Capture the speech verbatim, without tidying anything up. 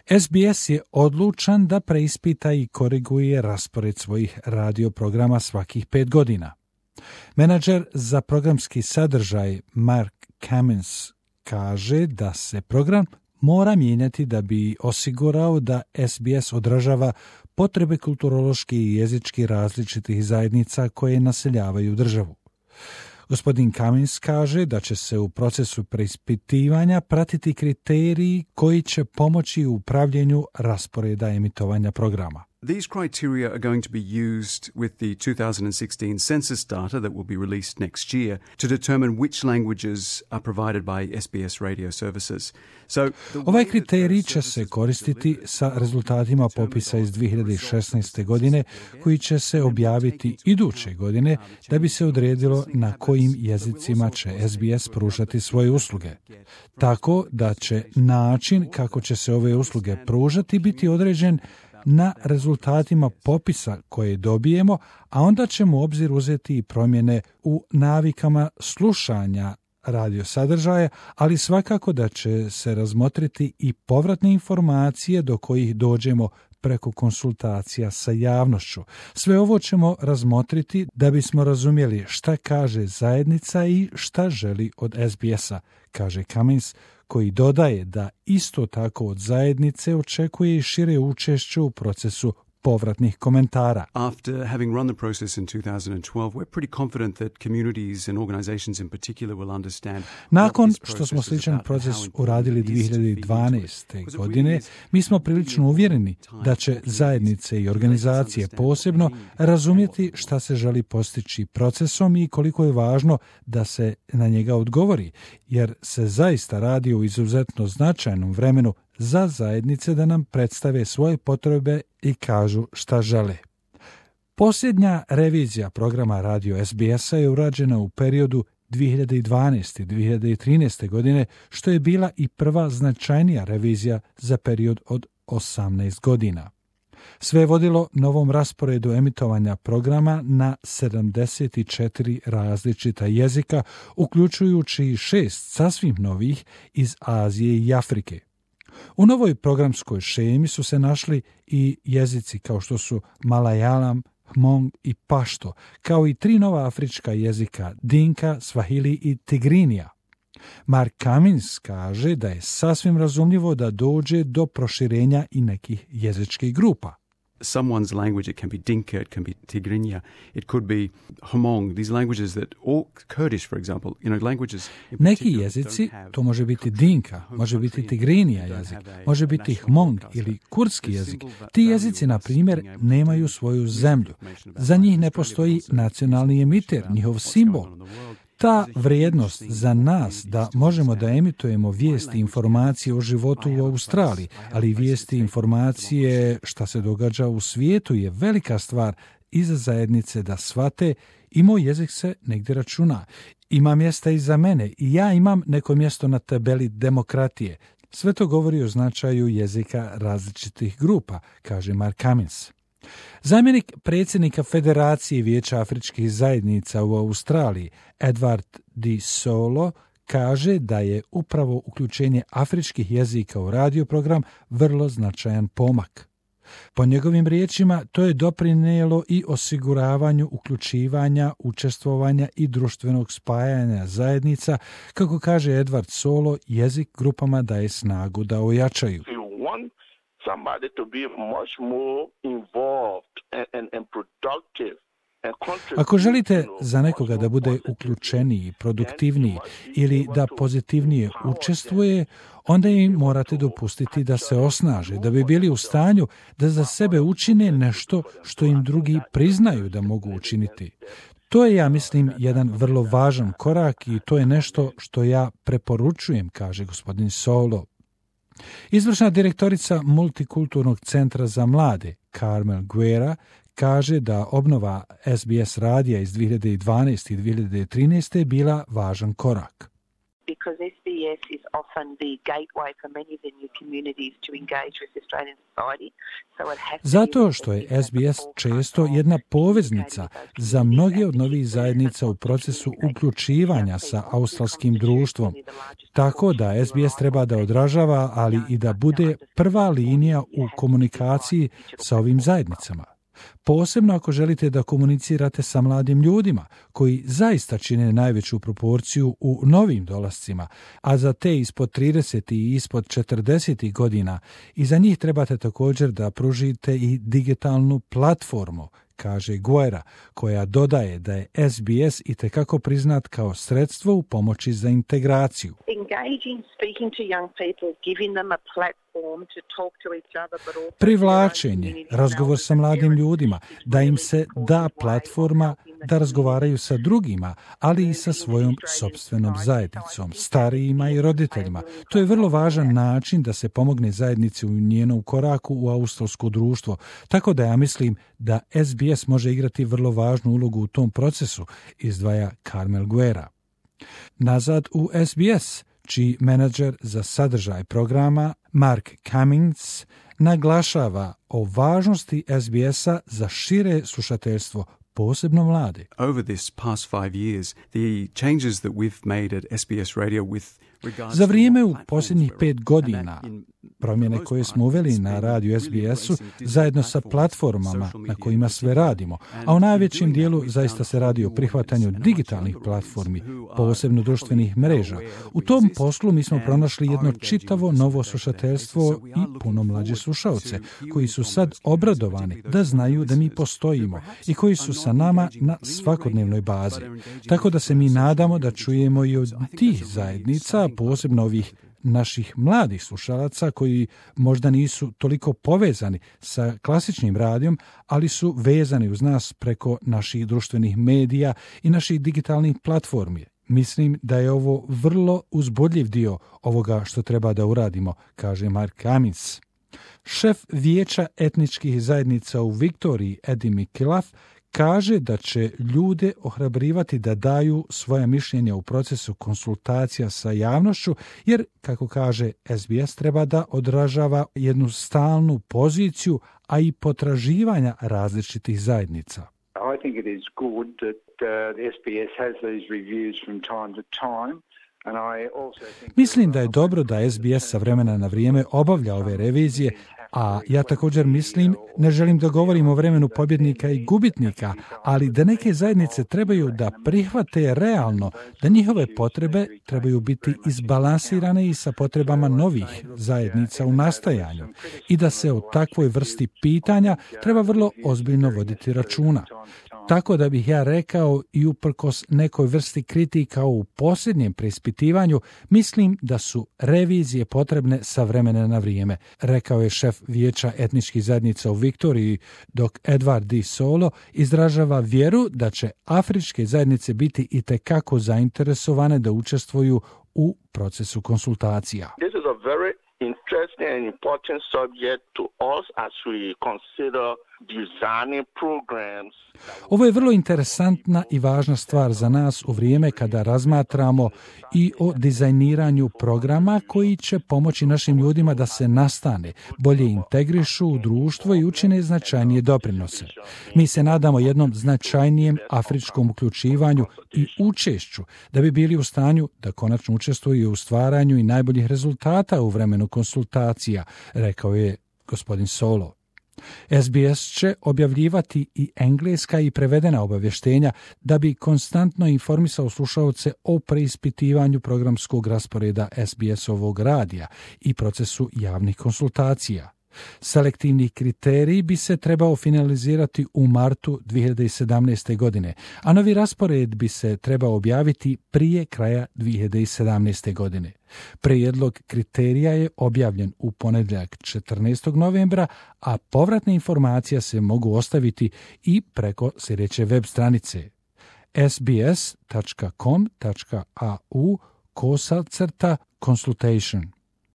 S B S je odlučan da preispita i koriguje raspored svojih radio programa svakih pet godina. Menadžer za programski sadržaj Mark Cummins kaže da se program mora mijenjati da bi osigurao da S B S odražava potrebe kulturološki i jezički različitih zajednica koje naseljavaju državu. Gospodin Cummins kaže da će se u procesu preispitivanja pratiti kriteriji koji će pomoći u upravljanju rasporeda emitovanja programa. These criteria are going to be used with the two thousand sixteen census data that will be released next year to determine which languages are provided by S B S radio services. So, ovaj kriterij će se koristiti sa rezultatima popisa iz dvije hiljade šesnaeste. godine, koji će se objaviti iduće godine da bi se odredilo na kojim jezicima će S B S pružati svoje usluge. Tako da će način kako će se ove usluge pružati biti određen na rezultatima popisa koje dobijemo, a onda ćemo u obzir uzeti i promjene u navikama slušanja radio sadržaja, ali svakako da će se razmotriti i povratne informacije do kojih dođemo preko konsultacija sa javnošću. Sve ovo ćemo razmotriti da bismo razumjeli šta kaže zajednica i šta želi od S B S-a, kaže Cummins, koji dodaje da isto tako od zajednice očekuje i šire učešće u procesu povratnih komentara. After having run the process in two thousand twelve, we're pretty confident that communities and organizations in particular will understand. Nakon što smo sličan proces uradili dvije hiljade dvanaeste. godine, mi smo prilično uvjereni da će zajednice i organizacije posebno razumjeti šta se želi postići procesom i koliko je važno da se na njega odgovori, jer se zaista radi o izuzetno značajnom vremenu za zajednice da nam predstave svoje potrebe i kažu šta žele. Posljednja revizija programa radio S B S-a je urađena u periodu dvije hiljade dvanaeste. i dvije hiljade trinaeste. godine, što je bila i prva značajnija revizija za period od osamnaest godina. Sve je vodilo novom rasporedu emitovanja programa na sedamdeset četiri različita jezika, uključujući i šest sasvim novih iz Azije i Afrike. U novoj programskoj šemi su se našli i jezici kao što su Malayalam, Hmong i Pašto, kao i tri nova afrička jezika Dinka, Swahili i Tigrinija. Mark Cummins kaže da je sasvim razumljivo da dođe do proširenja i nekih jezičkih grupa. Someone's language, it can be Dinka, it can be Tigrinya, it could be Hmong, these languages that, or Kurdish, for example, you know, languages... Neki jezici, to može biti Dinka, može biti Tigrinija jezik, može biti Hmong ili kurdski jezik. Ti jezici, na primjer, nemaju svoju zemlju. Za njih ne postoji nacionalni emiter, njihov simbol. Ta vrijednost za nas da možemo da emitujemo vijesti i informacije o životu u Australiji, ali i vijesti i informacije šta se događa u svijetu je velika stvar i za zajednice da shvate i moj jezik se negdje računa. Ima mjesta i za mene i ja imam neko mjesto na tabeli demokratije. Sve to govori o značaju jezika različitih grupa, kaže Mark Cummins. Zamjenik predsjednika Federacije Vijeća afričkih zajednica u Australiji, Edward Di Solo, kaže da je upravo uključenje afričkih jezika u radio program vrlo značajan pomak. Po njegovim riječima, to je doprinijelo i osiguravanju uključivanja, učestvovanja i društvenog spajanja zajednica, kako kaže Edward Solo, jezik grupama daje snagu da ojačaju. Somebody to be much more involved and, and, and productive. Ako želite za nekoga da bude uključeniji, produktivniji ili da pozitivnije učestvuje, onda im morate dopustiti da se osnaže, da bi bili u stanju da za sebe učine nešto što im drugi priznaju da mogu učiniti. To je, ja mislim, jedan vrlo važan korak i to je nešto što ja preporučujem, kaže gospodin Solo. Izvršna direktorica Multikulturnog centra za mlade, Carmel Guerra, kaže da obnova S B S radija iz dvije hiljade dvanaeste. i dvije hiljade trinaeste. je bila važan korak. because S B S is often the gateway for many of the new communities to engage with Australian society. So it has to Zato što je S B S često jedna poveznica za mnoge od novih zajednica u procesu uključivanja sa australskim društvom. Tako da S B S treba da odražava, ali i da bude prva linija u komunikaciji sa ovim zajednicama. Posebno ako želite da komunicirate sa mladim ljudima, koji zaista čine najveću proporciju u novim dolascima, a za te ispod trideset i ispod četrdeset godina, i za njih trebate također da pružite i digitalnu platformu, kaže Guerra, koja dodaje da je S B S itekako priznat kao sredstvo u pomoći za integraciju. Privlačenje, razgovor sa mladim ljudima, da im se da platforma da razgovaraju sa drugima, ali i sa svojom sopstvenom zajednicom, starijima i roditeljima. To je vrlo važan način da se pomogne zajednici u njenom koraku u australsko društvo, tako da ja mislim da S B S može igrati vrlo važnu ulogu u tom procesu, izdvaja Carmel Guerra. Nazad u S B S, čiji menadžer za sadržaj programa Mark Cummings naglašava o važnosti S B S-a za šire slušateljstvo, posebno mlade. Over this past five years, the changes that we've made at S B S Radio with Za vrijeme u posljednjih pet godina, promjene koje smo uveli na radiju S B S-u zajedno sa platformama na kojima sve radimo, a u najvećem dijelu zaista se radi o prihvatanju digitalnih platformi, posebno društvenih mreža. U tom poslu mi smo pronašli jedno čitavo novo slušateljstvo i puno mlađe slušaoce, koji su sad obradovani da znaju da mi postojimo i koji su sa nama na svakodnevnoj bazi. Tako da se mi nadamo da čujemo i od tih zajednica, posebno ovih naših mladih slušalaca koji možda nisu toliko povezani sa klasičnim radijom, ali su vezani uz nas preko naših društvenih medija i naših digitalnih platformi. Mislim da je ovo vrlo uzbudljiv dio ovoga što treba da uradimo, kaže Mark Cummings. Šef vijeća etničkih zajednica u Viktoriji, Eddie McIlrath, kaže da će ljude ohrabrivati da daju svoja mišljenja u procesu konsultacija sa javnošću, jer, kako kaže, S B S treba da odražava jednu stalnu poziciju, a i potraživanja različitih zajednica. I think it is good that uh, the S B S has these reviews from time to time. Mislim da je dobro da S B S sa vremena na vrijeme obavlja ove revizije, a ja također mislim, ne želim da govorim o vremenu pobjednika i gubitnika, ali da neke zajednice trebaju da prihvate realno da njihove potrebe trebaju biti izbalansirane i sa potrebama novih zajednica u nastajanju i da se o takvoj vrsti pitanja treba vrlo ozbiljno voditi računa. Tako da bih ja rekao i uprkos nekoj vrsti kritika u posljednjem preispitivanju, mislim da su revizije potrebne sa vremena na vrijeme, rekao je šef vijeća etničkih zajednica u Viktoriji, dok Edward D. Solo izražava vjeru da će afričke zajednice biti itekako zainteresovane da učestvuju u procesu konsultacija. This is a very interesting and important subject to us as we consider designing programs. Ovo je vrlo interesantna i važna stvar za nas u vrijeme kada razmatramo i o dizajniranju programa koji će pomoći našim ljudima da se nastane, bolje integrišu u društvo i učine značajnije doprinose. Mi se nadamo jednom značajnijem afričkom uključivanju i učešću da bi bili u stanju da konačno učestvuju u stvaranju i najboljih rezultata u vremenu konsultacija, rekao je gospodin Solo. S B S će objavljivati i engleska i prevedena obavještenja da bi konstantno informisao slušaoce o preispitivanju programskog rasporeda S B S-ovog radija i procesu javnih konsultacija. Selektivni kriterij bi se trebao finalizirati u martu dvije hiljade sedamnaeste. godine, a novi raspored bi se trebao objaviti prije kraja dvije hiljade sedamnaeste. godine. Prijedlog kriterija je objavljen u ponedjeljak četrnaestog novembra, a povratne informacije se mogu ostaviti i preko sljedeće web stranice s b s tačka com tačka a u kosa crta consultation.